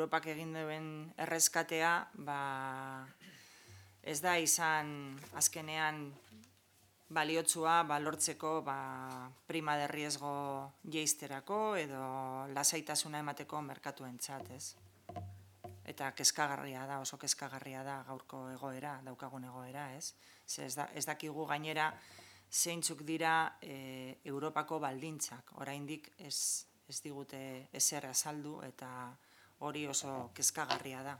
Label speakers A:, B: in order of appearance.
A: Europak egin duen erreskatea, ez da izan azkenean baliotsua lortzeko prima de riesgo jeizterako edo lasaitasuna emateko merkatuentzat, ez? Eta kezkagarria da, oso kezkagarria da gaurko egoera, daukagun egoera, ez? Ez dakigu gainera zeintzuk dira Europako baldintzak, oraindik ez digute ezer azaldu eta hori oso kezkagarria da.